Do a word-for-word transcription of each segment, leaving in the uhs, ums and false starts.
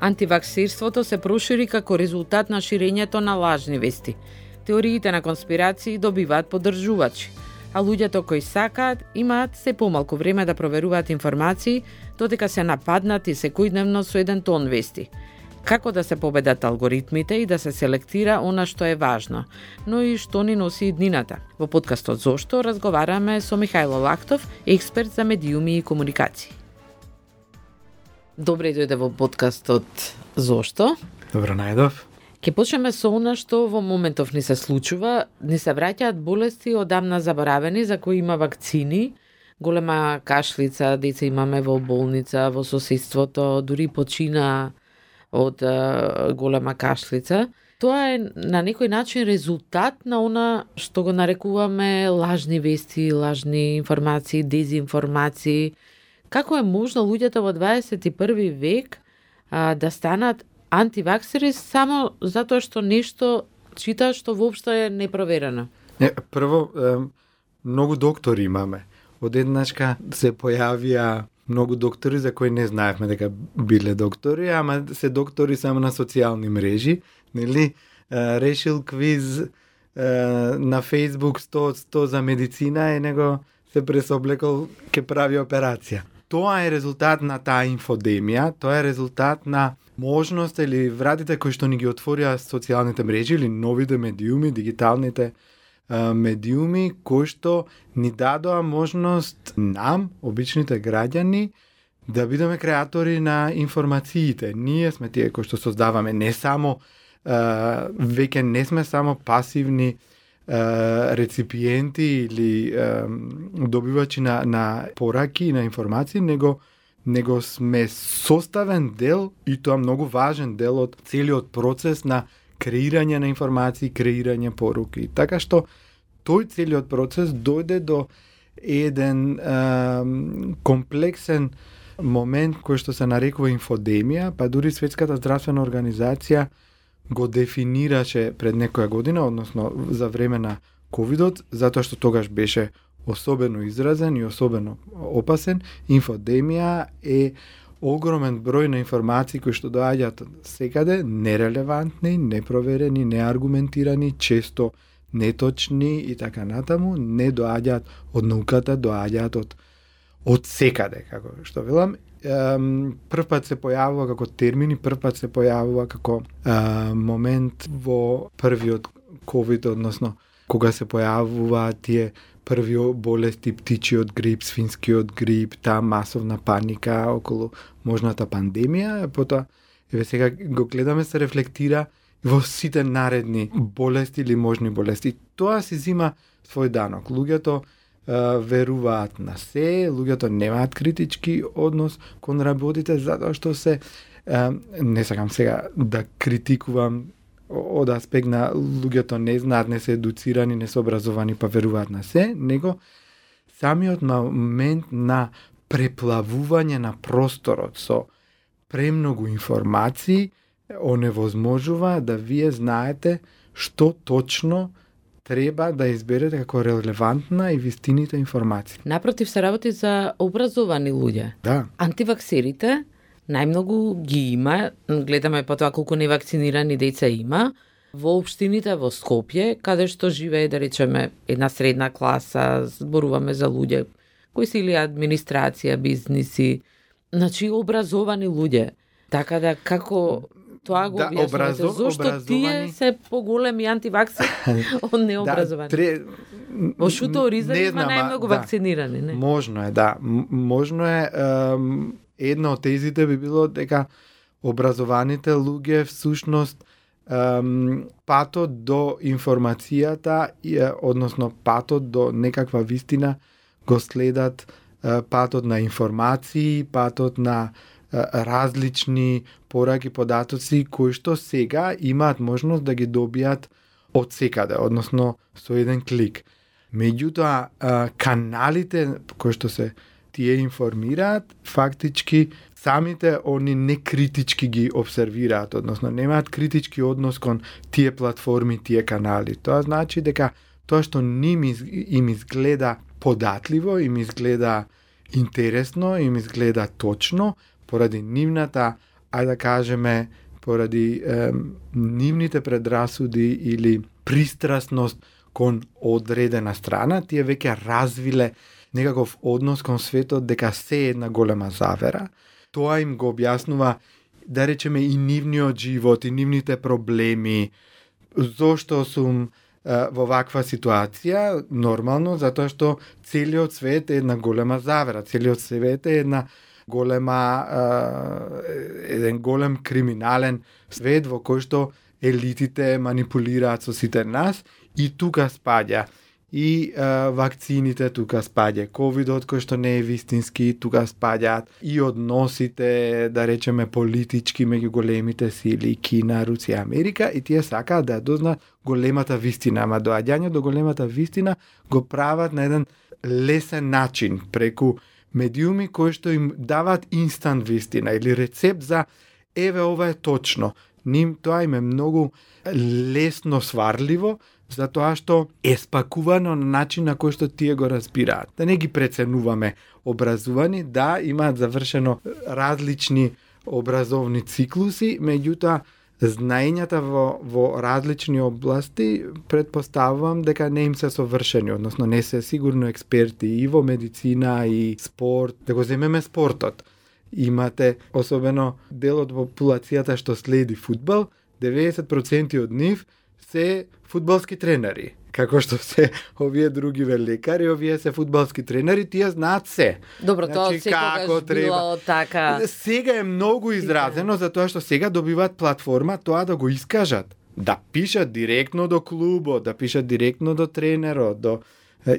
Антиваксирството се прошири како резултат на ширењето на лажни вести. Теориите на конспирации добиваат поддржувачи, а луѓето кои сакаат имаат се помалку време да проверуваат информации, додека се нападнати секојдневно со еден тон вести. Како да се победат алгоритмите и да се селектира она што е важно, но и што ни носи иднината. Во подкастот Зошто разговараме со Михајло Лактов, експерт за медиуми и комуникации. Добре дојде во подкастот Зошто. Добро најдов. Ке почнеме со она што во моментов ни се случува. Ни се враќаат болести одамна заборавени за кои има вакцини. Голема кашлица, деца имаме во болница, во соседството, дури почина од а, голема кашлица. Тоа е на некој начин резултат на она што го нарекуваме лажни вести, лажни информации, дезинформации. Како е можно луѓето во дваесет и први век а, да станат антиваксери само затоа што нешто читаат што воопшто е непроверено? Не, прво, е, многу доктори имаме. Одеднашка се појавија многу доктори за кои не знаевме дека биле доктори, ама се доктори само на социјални мрежи, нели? Решил квиз е, на Facebook сто сто за медицина и него се пресоблекол ке прави операција. Тоа е резултат на таа инфодемија, тоа е резултат на можност или вратите кои што ни ги отворија социјалните мрежи или новите медиуми, дигиталните а, медиуми, кои што ни дадоа можност нам, обичните граѓани, да бидеме креатори на информациите. Ние сме тие кои што создаваме, не само, а, веќе не сме само пасивни Uh, реципиенти или uh, добивачи на, на пораки и на информации, него, него сме составен дел и тоа многу важен дел од целиот процес на креирање на информации, креирање поруки. Така што тој целиот процес дојде до еден uh, комплексен момент кој што се нарекува инфодемија, па дури Светската здравствена организација го дефинираше пред некоја година, односно за време на ковидот, затоа што тогаш беше особено изразен и особено опасен. Инфодемија е огромен број на информации кои што доаѓаат секаде, нерелевантни, непроверени, неаргументирани, често неточни и така натаму, не доаѓаат од науката, доаѓаат од од секаде, како што велам. Прв пат се појавува како термини, прв пат се појавува како а, момент во првиот ковид, односно кога се појавува тие први болести, птичиот грип, свинскиот грип, таа масовна паника околу можната пандемија, потоа еве сега го гледаме се рефлектира во сите наредни болести или можни болести. Тоа се зима свој данок. Луѓето Uh, веруваат на се, луѓето немаат критички однос кон работите, затоа што се, uh, не сакам сега да критикувам од аспект на луѓето не знаат, не се едуцирани, не се образовани, па веруваат на се, него самиот момент на преплавување на просторот со премногу информации оневозможува да вие знаете што точно треба да изберете како релевантна и вистините информации. Напротив, се работи за образовани луѓе. Да. Антиваксерите најмногу ги има, гледаме по тоа колку невакцинирани деца има, во општините во Скопје, каде што живее, да речеме, една средна класа, зборуваме за луѓе кои се или администрација, бизниси, значи образовани луѓе. Така да како тоа го да, објаснувате, образо, зошто образовани... тие се поголеми антиваксери од необразовани? Да, тре... Во Шуто Ориза има најмногу да, вакцинирани, не? Можно е, да. Можно е, ем, една од тезите би било дека образованите луѓе всушност ем, патот до информацијата, односно патот до некаква вистина го следат е, патот на информации, патот на различни пораки, податоци кои што сега имаат можност да ги добијат од секаде, односно со еден клик. Меѓутоа, каналите кои што се тие информираат, фактички самите они некритички ги обсервираат, односно немаат критички однос кон тие платформи, тие канали. Тоа значи дека тоа што ним им изгледа податливо, им изгледа интересно, им изгледа точно, поради нивната ајде да кажеме, поради е, нивните предрасуди или пристрасност кон одредена страна, тие веќе развиле некаков однос кон светот дека се е една голема завера. Тоа им го објаснува, да речеме, и нивниот живот, и нивните проблеми. Зошто сум е, во ваква ситуација? Нормално, затоа што целиот свет е една голема завера, целиот свет е една голема, е, еден голем криминален свет во кој што елитите манипулираат со сите нас, и тука спаѓа и е, вакцините, тука спаѓа ковидот кој што не е вистински, тука спаѓаат и односите, да речеме, политички меѓу големите сили Кина, Русија, Америка, и тие сакаат да дознаат големата вистина, ама доаѓање до големата вистина го прават на еден лесен начин, преку медиуми кои што им даваат инстант вистина или рецепт за еве ова е точно. Ним тоа им е многу лесно сварливо, затоа што е спакувано на начин на кој што тие го разбираат. Да не ги преценуваме образувани, да, имаат завршено различни образовни циклуси, меѓутоа знаењата во, во различни области предпоставувам дека не им се совршени, односно не се сигурно експерти и во медицина и спорт. Да го земеме спортот. Имате особено дел од популацијата што следи фудбал, деветдесет проценти од нив се фудбалски тренери. Како што се овие други лекари, овие се фудбалски тренери, тие знаат се. Добро, тоа значи, секогаш било така. Сега е многу изразено, затоа што сега добиваат платформа тоа да го искажат. Да пишат директно до клубот, да пишат директно до тренерот, до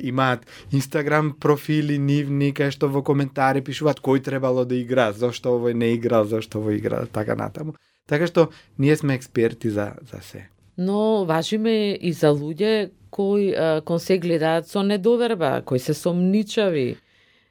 имаат Инстаграм профили нивни, кај што во коментари пишуваат кој требало да игра, зошто овој не играл, зошто овој играл, така натаму. Така што ние сме експерти за, за се. Но важиме и за луѓе кои а, кон се гледаат со недоверба, кои се сомничави,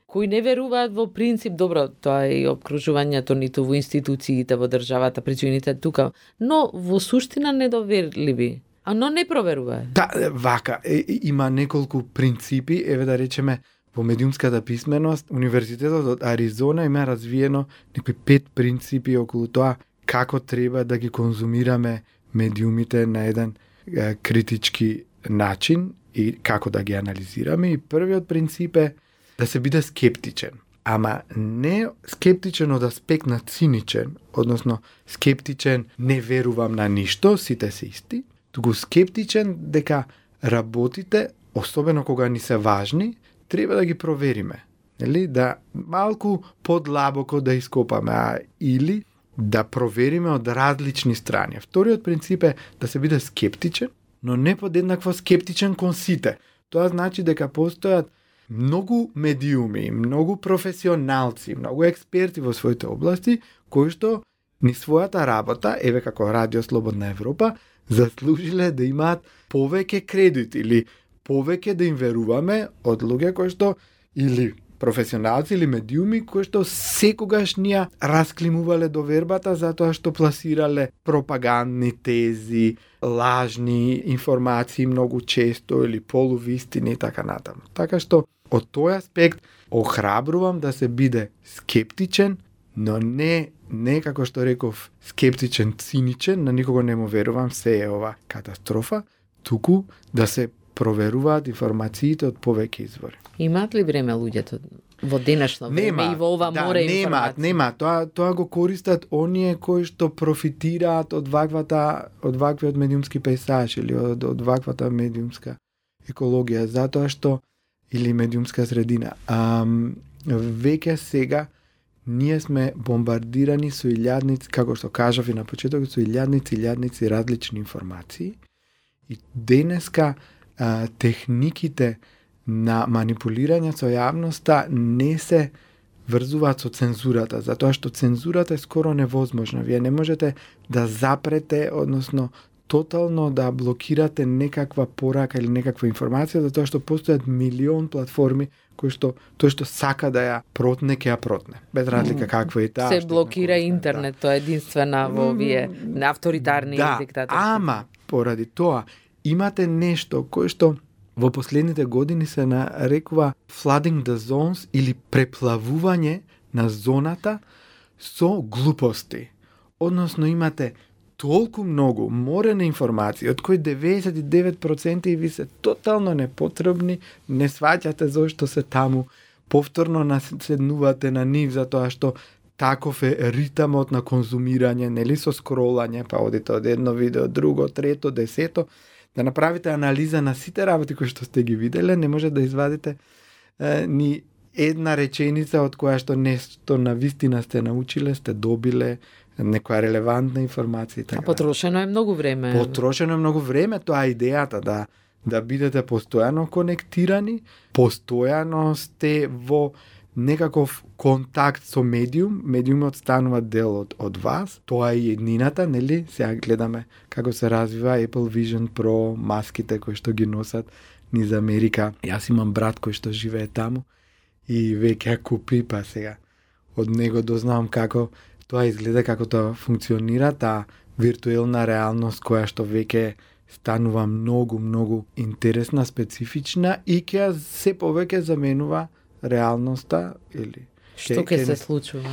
кои не веруваат во принцип, добро, тоа е и обкружувањето ниту во институциите, во државата, причините тука, но во суштина недоверливи, а но не проверуваат. Да, вака, е, има неколку принципи, еве да речеме, во медиумската писменост, Универзитетот од Аризона има развиено некои пет принципи околу тоа како треба да ги конзумираме медиумите на еден е, критички начин и како да ги анализираме. И првиот принцип е да се биде скептичен. Ама не скептичен од аспект на циничен, односно скептичен не верувам на ништо, сите се исти, туку скептичен дека работите, особено кога ни се важни, треба да ги провериме. Нели? Да малку подлабоко да ископаме, а или да провериме од различни страни. Вториот принцип е да се биде скептичен, но не подеднакво скептичен кон сите. Тоа значи дека постојат многу медиуми, многу професионалци, многу експерти во своите области, кои што ни својата работа, еве како Радио Слободна Европа, заслужиле да имаат повеќе кредит или повеќе да им веруваме од луѓе кои што или професионалци или медиуми кои што секогаш ни расклимувале довербата затоа што пласирале пропагандни тези, лажни информации многу често или полувистини и така натаму. Така што од тој аспект охрабрувам да се биде скептичен, но не не како што реков скептичен, циничен, на никого не му верувам, се е ова катастрофа, туку да се проверуваат информациите од повеќе извори. Имаат ли време луѓето во денешно време нема, и во ова да, море нема, информации? Нема, тоа тоа го користат оние кои што профитираат од ваквата од ваквиот медиумски пејзаж или од од ваквата медиумска екологија, затоа што или медиумска средина. Ам, веќе сега ние сме бомбардирани со илјадници, како што кажав и на почетокот, со илјадници, илјадници различни информации. И денеска а, техниките на манипулирање со јавноста не се врзуваат со цензурата, затоа што цензурата е скоро невозможна. Вие не можете да запрете, односно тотално да блокирате некаква порака или некаква информација, затоа што постојат милион платформи кои што тој што сака да ја протне, ќе ја протне. Без разлика каква е таа. Се блокира интернет, да. Тоа е единствена во овие авторитарни да, диктаторски. Ама поради тоа имате нешто кое што во последните години се нарекува flooding the zones или преплавување на зоната со глупости. односно имате толку многу морена информации, од кои деветдесет и девет проценти ви се тотално непотребни, не сваќате зошто се таму, повторно наседнувате на нив затоа што таков е ритамот на конзумирање, нели со скролање, па одите од едно видео, друго, трето, десето, да направите анализа на сите работи кои што сте ги виделе, не може да извадите е, ни една реченица од која што нешто на вистина сте научиле, сте добиле, некоја релевантна информација. А потрошено е многу време. Потрошено е многу време, тоа е идејата, да да бидете постојано конектирани, постојано сте во некаков контакт со медиум, медиумот станува дел од, од вас, тоа е еднината, нели? Сега гледаме како се развива Apple Vision Pro, маските кои што ги носат низ Америка. Јас имам брат кој што живее таму и веќе ја купи, па сега од него дознавам како тоа изгледа, како тоа функционира, таа виртуелна реалност која што веќе станува многу, многу интересна, специфична и ќе се повеќе заменува реалноста или што ќе се случува?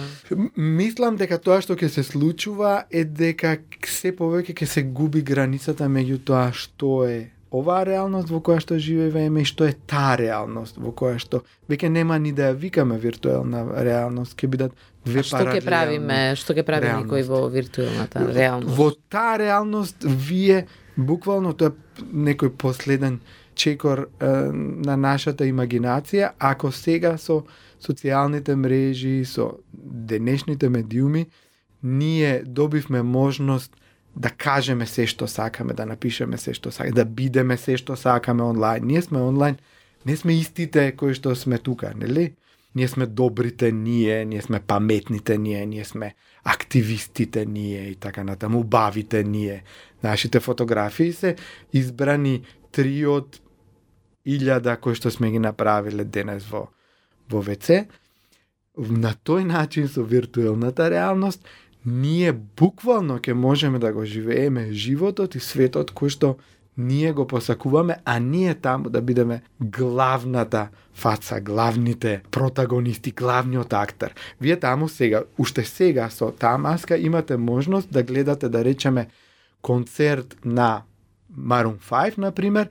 Мислам дека тоа што ќе се случува е дека се повеќе ќе се губи границата меѓу тоа што е оваа реалност во која што живееме и што е таа реалност во која што веќе нема ни да ја викаме виртуелна реалност, ќе бидат две паралелни. Што ќе правиме, што ќе прави некој во виртуелната реалност? Во таа реалност вие буквално тоа е некој последен чекор е, на нашата имагинација, ако сега со социјалните мрежи, со денешните медиуми, ние добивме можност да кажеме се што сакаме, да напишеме се што сакаме, да бидеме се што сакаме онлайн. Ние сме онлайн, не сме истите кои што сме тука, нели? Ние сме добрите ние, ние сме паметните ние, ние сме активистите ние и така натаму, убавите ние. Нашите фотографии се избрани три од илјада кои што сме ги направиле денес во во ВЦ. На тој начин со виртуелната реалност ние буквално ќе можеме да го живееме животот и светот кој што ние го посакуваме, а ние таму да бидеме главната фаца, главните протагонисти, главниот актер. Вие таму сега, уште сега со таа маска имате можност да гледате, да речеме, концерт на Maroon five, например,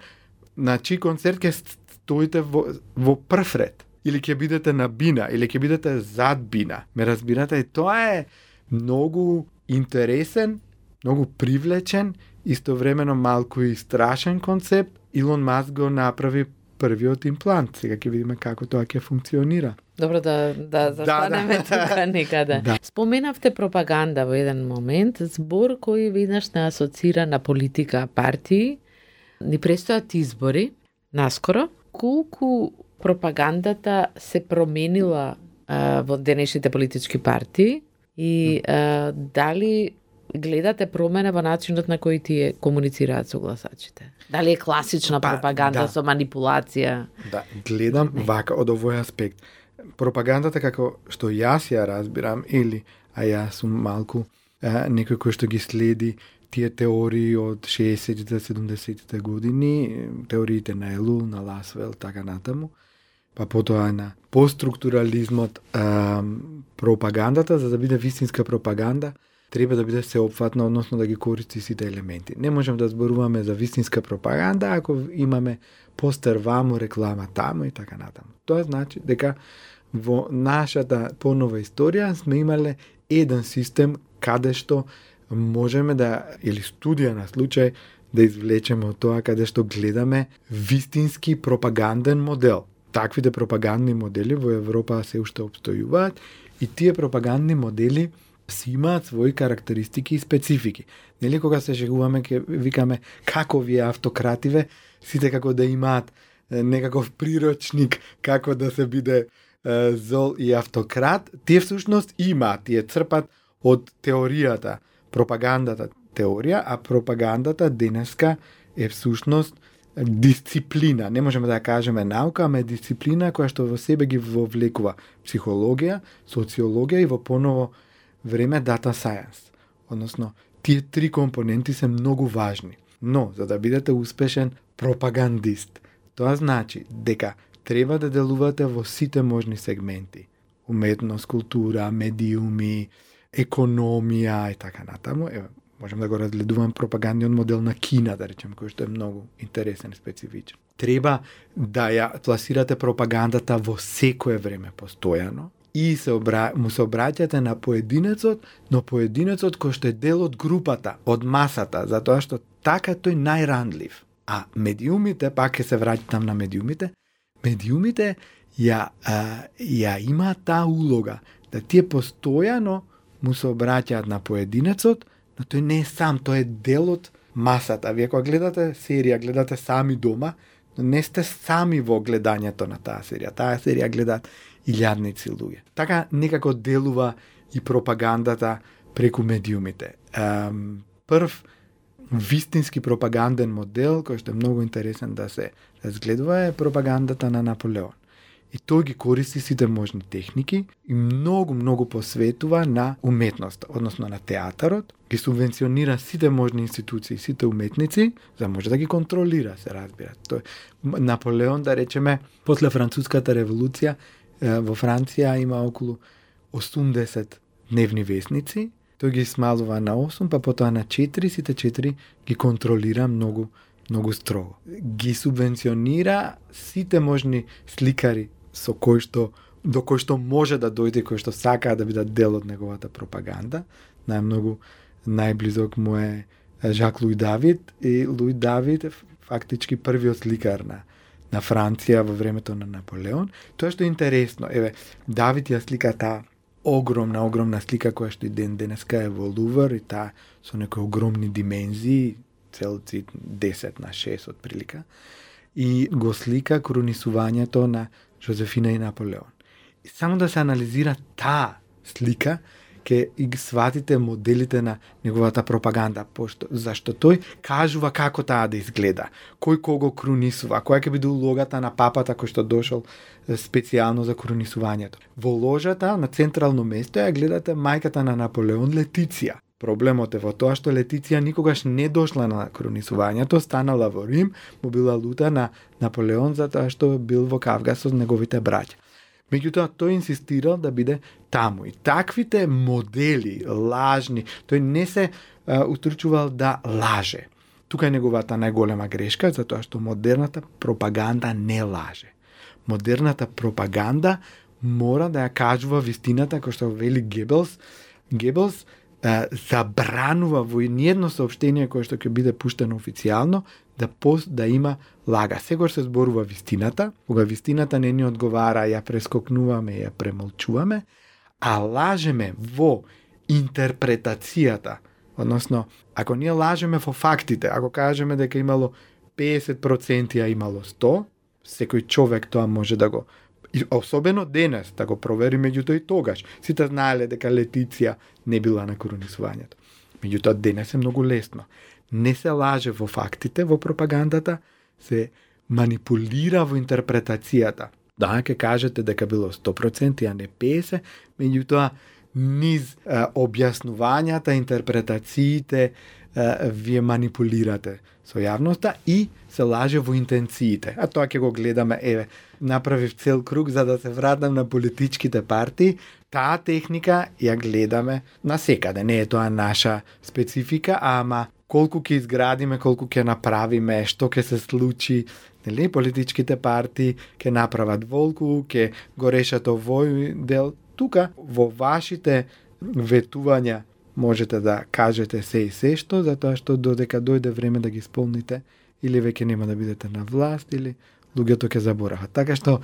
на чиј концерт ќе стоите во, во прв ред, или ќе бидете на бина, или ќе бидете зад бина. Ме разбирате, и тоа е многу интересен, многу привлечен, истовремено малку и страшен концепт. Илон Маск го направи првиот имплант. Сега ќе видиме како тоа ќе функционира. Добро да да застанеме да, да. тука некаде. Да. Споменавте пропаганда во еден момент, збор кој веднаш не асоцира на политика, партии. Ни престојат избори наскоро. Колку пропагандата се променила а, во денешните политички партии и а, дали гледате промена во начинот на кој тие комуницираат со гласачите? Дали е класична па, пропаганда да. со манипулација? Да, гледам вака од овој аспект. Пропагандата како што јас ја разбирам, или а јас сум малку а, некој кој што ги следи тие теории од шеесеттите, седумдесеттите години, теориите на Елул, на Ласвел, така натаму, па потоа на постструктурализмот, а, пропагандата, за да биде вистинска пропаганда, треба да биде сеопфатна, односно да ги користи сите елементи. Не можем да зборуваме за вистинска пропаганда ако имаме постер ваму, реклама таму и така натаму. Тоа значи дека во нашата понова историја сме имале еден систем каде што можеме да, или студија на случај, да извлечеме од тоа каде што гледаме вистински пропаганден модел. Таквите пропагандни модели во Европа се уште обстојуваат и тие пропагандни модели си имаат своји карактеристики и специфики. Нели кога се шегуваме, ке викаме како вие автокративе, сите како да имаат некаков прирочник како да се биде е, зол и автократ, тие всушност имаат, тие црпат од теоријата, пропагандата теорија, а пропагандата денеска е всушност дисциплина. Не можеме да кажеме наука, ама е дисциплина која што во себе ги вовлекува психологија, социологија и во поново време data science. Односно, тие три компоненти се многу важни. Но, за да бидете успешен пропагандист, тоа значи дека треба да делувате во сите можни сегменти. Уметност, култура, медиуми, економија и така натаму. Еве, можем да го разгледувам пропагандниот модел на Кина, да речем, кој што е многу интересен и специфичен. Треба да ја пласирате пропагандата во секое време постојано и се обра... му се обраќате на поединецот, но поединецот кој што е дел од групата, од масата, затоа што така тој најранлив. А медиумите, пак ќе се враќам на медиумите, медиумите ја, а, ја има таа улога да тие постојано му се обраќаат на поединецот, но тој не е сам, тој е дел од масата. Вие кога гледате серија, гледате сами дома, но не сте сами во гледањето на таа серија. Таа серија гледаат илјадници луѓе. Така некако делува и пропагандата преку медиумите. Um, прв вистински пропаганден модел, кој што е многу интересен да се разгледува, е пропагандата на Наполеон. И тој ги користи сите можни техники и многу, многу посветува на уметноста, односно на театарот, ги субвенционира сите можни институции, сите уметници, за да може да ги контролира, се разбира. Тој Наполеон, да речеме, после Француската револуција, во Франција има околу осумдесет дневни весници, тој ги смалува на осум, па потоа на четири, сите четири ги контролира многу, многу строго. Ги субвенционира сите можни сликари со кој што, до кој што може да дојде, кој што сакаа да бидат дел од неговата пропаганда. Најмногу најблизок му е Жак Луи Давид, и Луи Давид е фактички првиот сликар на на Франција во времето на Наполеон. Тоа што е интересно, еве, Давид ја слика таа огромна, огромна слика која што и ден денеска е во Лувр и таа со некои огромни димензии, целци десет на шест од прилика, и го слика кронисувањето на Жозефина и Наполеон. И само да се анализира таа слика, ке и ги сватите моделите на неговата пропаганда, пошто, зашто тој кажува како таа да изгледа, кој кого кронисува, која ќе биде улогата на папата кој што дошол специјално за кронисувањето. Во ложата на централно место ја гледате мајката на Наполеон, Летиција. Проблемот е во тоа што Летиција никогаш не дошла на кронисувањето, станала во Рим, му била лута на Наполеон затоа што бил во Кавгас со неговите браќа. Меѓутоа, тој инсистирал да биде таму. И таквите модели, лажни, тој не се а, утрчувал да лаже. Тука е неговата најголема грешка, затоа што модерната пропаганда не лаже. Модерната пропаганда мора да ја кажува вистината, кој што вели Гебелс. Гебелс а, забранува во ниедно соопштение кое што ќе биде пуштено официјално да пос, да има лага. Сегош се зборува вистината, кога вистината не ни одговара, ја прескокнуваме, ја премолчуваме, а лажеме во интерпретацијата. Односно, ако ние лажеме во фактите, ако кажеме дека имало педесет проценти, а имало сто, секој човек тоа може да го, и особено денес, да го провери, меѓутоа и тогаш. Сите знаеле дека Летиција не била на коронисувањето. Меѓутоа денес е многу лесно. Не се лаже во фактите, во пропагандата, се манипулира во интерпретацијата. Да, ќе кажете дека било сто проценти, а не педесет, меѓутоа низ а, објаснувањата, интерпретациите, а, вие манипулирате со јавноста и се лаже во интенциите. А тоа ќе го гледаме, еве, направив цел круг за да се вратам на политичките партии. Таа техника ја гледаме насекаде. Не е тоа наша специфика, ама колку ќе изградиме, колку ќе направиме, што ќе се случи, нели, политичките партии ќе направат волку, ќе го решат овој дел. Тука, во вашите ветувања, можете да кажете се и се што, затоа што додека дојде време да ги исполните, или веќе нема да бидете на власт, или луѓето ќе заборават. Така што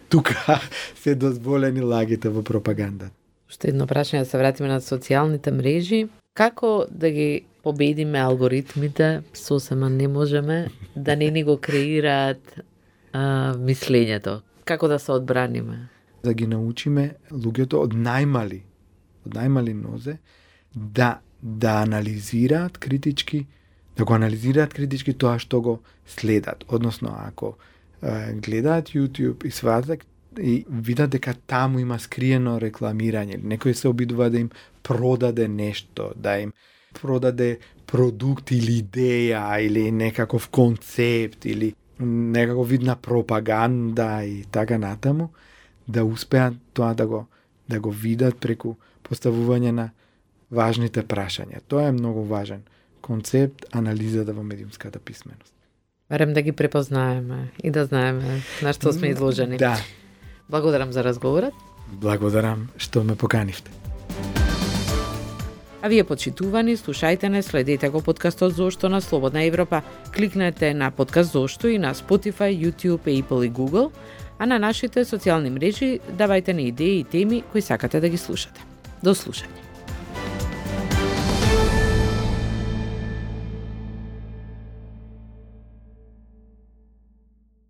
тука се дозволени лагите во пропагандата. Уште едно прашање, да се вратиме на социјалните мрежи. Како да ги победиме алгоритмите? Сосема не можеме, да не ни го креираат а, мислењето. Како да се одбраниме? Да ги научиме луѓето од најмали, од најмали нозе, да, да анализираат критички, да го анализираат критички тоа што го следат. Односно, ако е, гледаат YouTube и сватат и видат дека таму има скриено рекламирање, некој се обидува да им продаде нешто, да им продаде продукт или идеја, или некаков концепт, или некаков вид на пропаганда и така натаму, да успеат тоа да го, да го видат преку поставување на важните прашања. Тоа е многу важен концепт анализата во медиумската писменост. Барем да ги препознаеме и да знаеме на што сме изложени. Да. Благодарам за разговорот. Благодарам што ме поканивте. А вие, почитувани, слушајте не, следете го подкастот Зошто на Слободна Европа. Кликнете на подкаст Зошто и на Spotify, YouTube, Apple и Google, а на нашите социјални мрежи давајте ни идеи и теми кои сакате да ги слушате. До слушање.